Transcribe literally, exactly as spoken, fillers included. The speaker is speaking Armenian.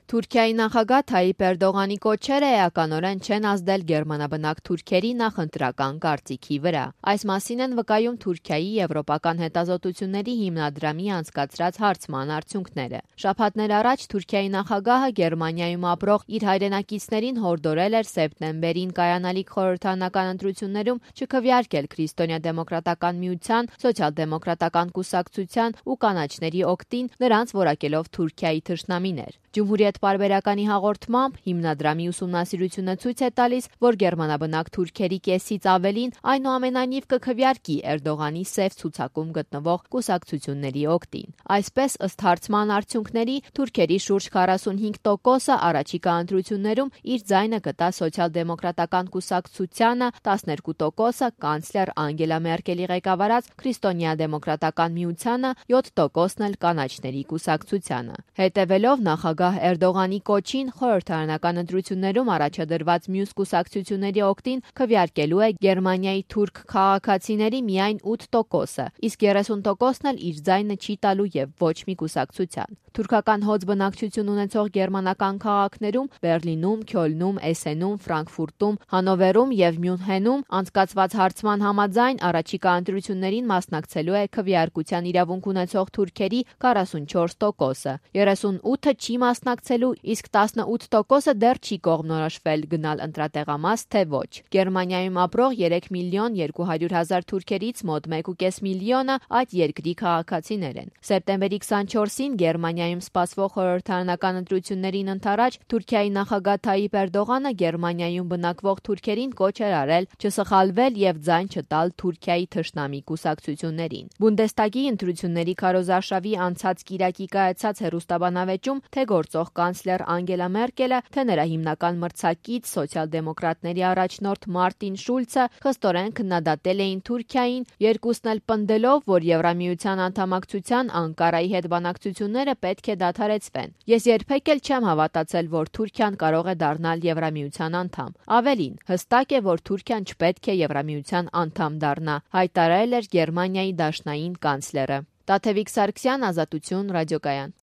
Թուրքիայի նախագահ Թայիպ Էրդողանի կոչերը էականորեն չեն ազդել գերմանաբնակ թուրքերի նախընտրական կարծիքի վրա։ Այս մասին են վկայում Թուրքիայի եվրոպական հետազոտությունների հիմնադրամի անցկացրած հարցման արդյունքները։ Շաբաթներ առաջ Թուրքիայի նախագահը Գերմանիայում ապրող իր հայրենակիցներին հորդորել էր սեպտեմբերին կայանալիք խորհրդարանական ընտրություններում չքվեարկել Քրիստոնյա դեմոկրատական միության, սոցիալ-դեմոկրատական կուսակցության ու կանաչների օգտին, նրանց որակելով Թուրքիայի թշնամիներ։ Ջումհուրիետ պարբերականի հաղորդմամբ հիմնադրամի ուսումնասիրությունը ցույց է տալիս, որ գերմանաբնակ թուրքերի կեսից ավելին այնուամենայնիվ կքվեարկի Էրդողանի սև ցուցակում գտնվող կուսակցությունների օգտին։ Այսպես, ըստ հարցման արդյունքների, թուրքերի շուրջ քառասունհինգ տոկոսը առաջիկա ընտրություններում իր ձայնը կտա սոցիալ-դեմոկրատական կուսակցությանը, տասներկու տոկոսը կանցլեր Անգելա Մերկելի ղեկավարած Քրիստոնյա դեմոկրատական միությանը, յոթ տոկոսն էլ կանաչների կուսակցությանը։ Հետևելով նախագահ Էրդողանի կոչին, խորհրդարանական ընտրություններում առաջադրված մյուս կուսակցությունների օգտին քվեարկելու է Գերմանիայի թուրք քաղաքացիների միայն ութ տոկոսը, իսկ երեսուն տոկոսն էլ իր ձայնը չի տալու եւ ոչ մի կուսակցության։ Թուրքական հոծ բնակչություն ունեցող գերմանական քաղաքներում Բերլինում, Քյոլնում, Էսենում, Ֆրանկֆուրտում, Հանովերում եւ Մյունհենում անցկացված հարցման համաձայն առաջիկա ընտրություններին մասնակցելու է քվեարկության իրավունք ունեցող թուրքերի քառասունչորս տոկոսը, երեսունութը չի մասնակցելու, իսկ տասնութ տոկոսը դեռ չի կողմնորոշվել գնալ ընտրատեղամաս, թե ոչ։ Գերմանիայում ապրող երեք միլիոն երկու հարյուր հազար թուրքերից մոտ մեկ ու կես միլիոնը այդ երկրի քաղաքացիներ են։ Սեպտեմբերի քսանչորսին Գերմանիայում սպասվող խորհրդարանական ընտրություններին ընդառաջ Թուրքիայի նախագահ Թայիպ Էրդողանը Գերմանիայում բնակվող թուրքերին կոչ էր արել չսխալվել եւ ձայն չտալ Թուրքիայի թշնամի կուսակցություններին։ Բունդեստագի ընտրությունների քարոզարշավի անցած կիրակի կայացած հեռուստաբանավեճում թե գործող կանցլեր Անգելա Մերկելը, թե նրա հիմնական մրցակից սոցիալ-դեմոկրատների առաջնորդ Մարտին Շուլցը խստորեն քննադատել էին Թուրքիային, երկուսն էլ պնդելով, որ Եվրամիության անդամակցության Անկարայի հետ բանակցությունները պետք է դադարեցվեն։ Ես երբեք էլ չեմ հավատացել, որ Թուրքիան կարող է դառնալ Եվրամիության անդամ։ Ավելին, հստակ է, որ Թուրքիան չպետք է Եվրամիության անդամ դառնա, հայտարարել էր Գերմանիայի դաշնային կանցլերը։ Տաթևիկ Սարգսյան, Ազատություն, ռադիոկայան։